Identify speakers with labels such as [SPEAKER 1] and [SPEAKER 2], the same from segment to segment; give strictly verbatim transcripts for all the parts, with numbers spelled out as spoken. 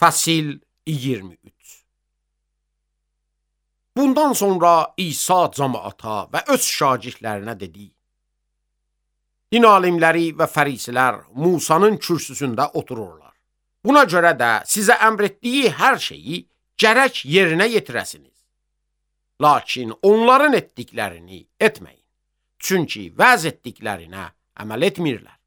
[SPEAKER 1] Fəsil iyirmi üç. Bundan sonra İsa cəmaata və öz şagirdlərinə dedi: Din alimləri və fərisilər Musanın kürsüsündə otururlar. Buna görə də sizə əmr etdiyi hər şeyi gərək yerinə yetirəsiniz. Lakin onların etdiklərini etməyin. Çünki vəz etdiklərinə əməl etmirlər.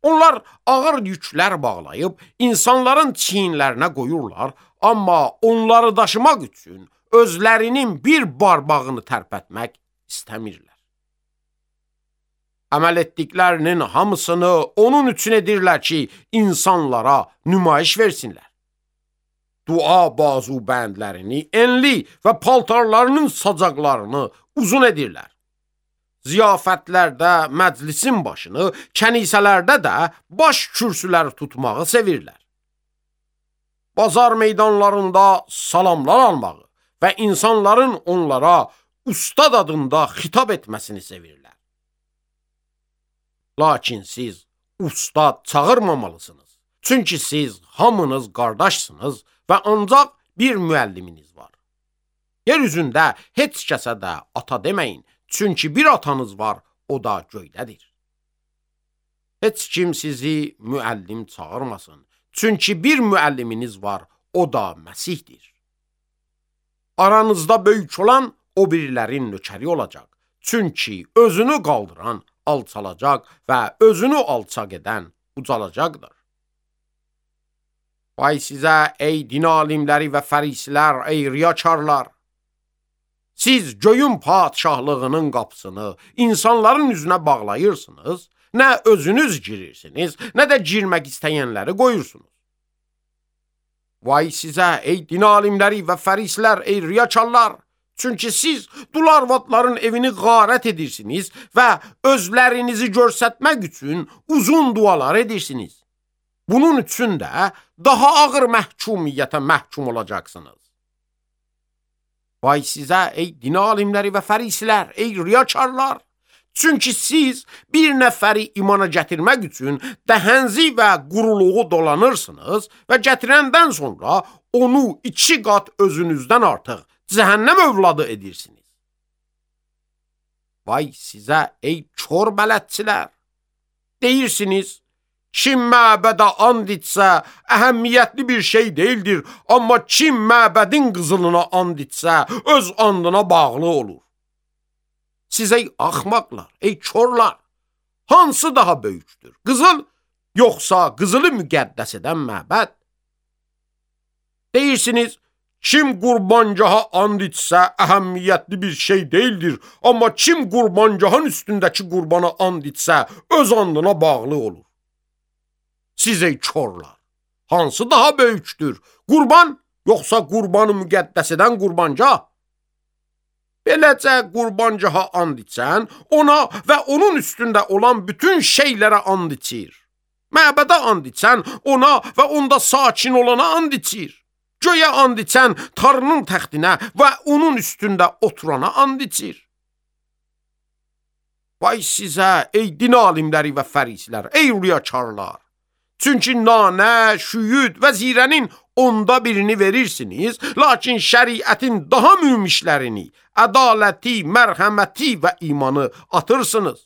[SPEAKER 1] Onlar ağır yüklər bağlayıb insanların çiyinlərinə qoyurlar, amma onları daşımaq üçün özlərinin bir barbağını tərpətmək istəmirlər. Əməl etdiklərinin hamısını onun üçün edirlər ki, insanlara nümayiş versinlər. Dua bazu bəndlərini enli və paltarlarının sacaqlarını uzun edirlər. Ziyafətlərdə məclisin başını, kənisələrdə də baş kürsüləri tutmağı sevirlər. Bazar meydanlarında salamlar almağı və insanların onlara ustad adında xitab etməsini sevirlər. Lakin siz ustad çağırmamalısınız. Çünki siz hamınız qardaşsınız və ancaq bir müəlliminiz var. Yer üzündə heç kəsə də ata deməyin. Çünki bir atanız var, o da göydədir. Heç kim sizi müəllim çağırmasın. Çünki bir müəlliminiz var, o da Məsihdir. Aranızda böyük olan o birilərin nökəri olacaq. Çünki özünü qaldıran alçalacaq və özünü alçaq edən ucalacaqdır. Vay sizə ey din alimləri və fərisilər, ey riyakarlar! Siz göyün padşahlığının qapısını insanların üzünə bağlayırsınız, nə özünüz girirsiniz, nə də girmək istəyənləri qoyursunuz. Vay sizə ey din alimləri və fərislər, ey riyakarlar! Çünki siz dul arvadların evini qarət edirsiniz və özlərinizi görsətmək üçün uzun dualar edirsiniz. Bunun üçün də daha ağır məhkumiyyətə məhkum olacaqsınız. Vay sizə ey din alimləri və fərisilər, ey riyakarlar! Çünki siz bir nəfəri imana gətirmək üçün dəhənzi və quruluğu dolanırsınız və gətirəndən sonra onu iki qat özünüzdən artıq cəhənnəm övladı edirsiniz. Vay sizə ey kör bələdçilər! Deyirsiniz, kim məbədə and içsə, əhəmiyyətli bir şey deyildir, amma kim məbədin qızılına and içsə, öz andına bağlı olur. Siz ey axmaqlar, ey körlar, hansı daha böyükdür? Qızıl, yoxsa qızılı müqəddəs edən məbəd? Deyirsiniz, kim qurbancaha and içsə, əhəmiyyətli bir şey deyildir, amma kim qurbancahın üstündəki qurbana and içsə, öz andına bağlı olur. Siz ey körlar, hansı daha böyükdür? Qurban, yoxsa qurbanı müqəddəs edən qurbancah? Beləcə qurbancaha and içən, ona və onun üstündə olan bütün şeylərə and içir. Məbədə and içən, ona və onda sakin olana and içir. Göyə and içən, Tanrının təxtinə və onun üstündə oturana and içir. Vay sizə, ey din alimləri və fərisilər, ey riyakarlar! Çünki nanə, şüyüd və zirənin onda birini verirsiniz, lakin şəriətin daha mühümüşlərini, ədaləti, mərhəməti və imanı atırsınız.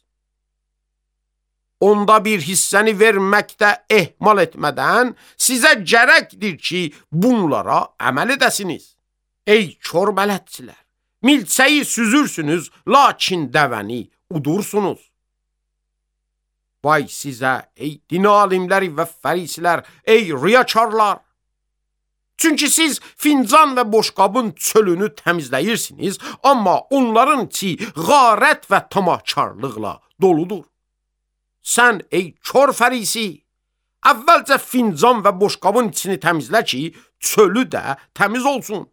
[SPEAKER 1] Onda bir hissəni verməkdə ehmal etmədən sizə gərəkdir ki, bunlara əməl edəsiniz. Ey kör bələdçilər! Milçəyi süzürsünüz, lakin dəvəni udursunuz. Vay sizə, ey din alimləri və fərisilər, ey riyakarlar! Çünki siz fincan və boşqabın çölünü təmizləyirsiniz, amma onların içi qarət və tamahkarlıqla doludur. Sən, ey kör fərisi, əvvəlcə fincan və boşqabın içini təmizlə ki, çölü də təmiz olsun.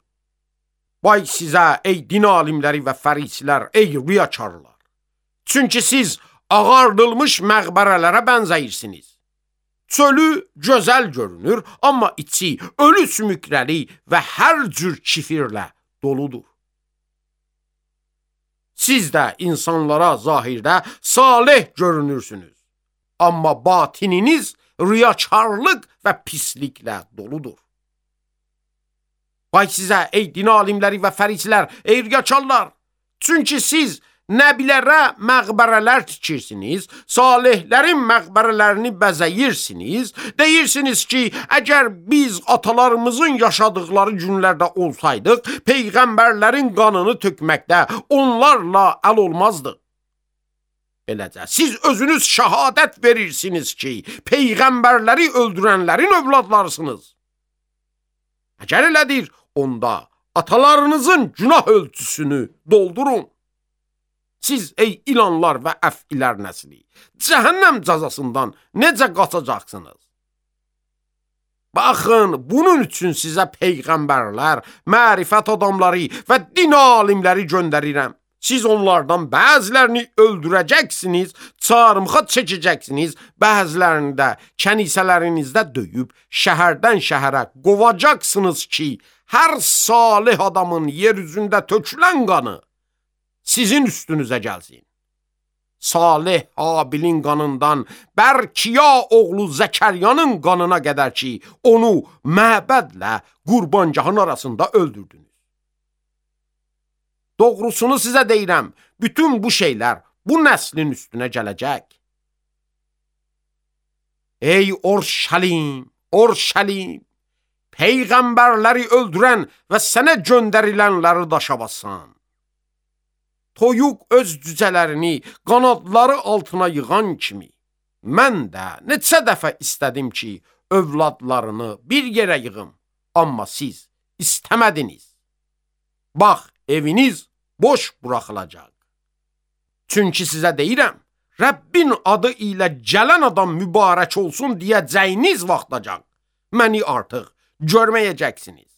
[SPEAKER 1] Vay sizə, ey din alimləri və fərisilər, ey riyakarlar! Çünki siz ağardılmış məqbərələrə bənzəyirsiniz. Çölü gözəl görünür, amma içi ölü sümükləri və hər cür kifirlə doludur. Siz də insanlara zahirdə salih görünürsünüz, amma batininiz riyakarlıq və pisliklə doludur. Vay sizə, ey din alimləri və fərisilər, ey riyakarlar! Çünki siz nəbilərə məqbərələr tikirsiniz, salihlərin məqbərələrini bəzəyirsiniz, deyirsiniz ki, əgər biz atalarımızın yaşadıkları günlərdə olsaydıq, peyğəmbərlərin qanını tökməkdə onlarla əl olmazdıq. Beləcə, siz özünüz şəhadət verirsiniz ki, peyğəmbərləri öldürənlərin övladlarısınız. Əgər elədir, onda atalarınızın günah ölçüsünü doldurun. Siz, ey ilanlar və əfilər nəsli, cəhənnəm cəzasından necə qaçacaqsınız? Baxın, bunun üçün sizə peyğəmbərlər, mərifət adamları və din alimləri göndərirəm. Siz onlardan bəzilərini öldürəcəksiniz, çarmıxa çəkəcəksiniz, bəzilərini də kənisələrinizdə döyüb, şəhərdən şəhərə qovacaqsınız ki, hər salih adamın yer üzündə tökülən qanı sizin üstünüzə gəlsin. Salih Habilin qanından Bərkiya oğlu Zəkəryanın qanına qədər ki, onu məbədlə qurbangahın arasında öldürdünüz. Doğrusunu sizə deyirəm, bütün bu şeylər bu nəslin üstünə gələcək. Ey Orşəlim, Orşəlim, peyğəmbərləri öldürən və sənə göndərilənləri daşa bassan. Toyuq öz cücələrini qanadları altına yığan kimi, mən də neçə dəfə istədim ki, övladlarını bir yerə yığım, amma siz istəmədiniz. Bax, eviniz boş buraxılacaq. Çünki sizə deyirəm, Rəbbin adı ilə gələn adam mübarək olsun deyəcəyiniz vaxtacaq. Məni artıq görməyəcəksiniz.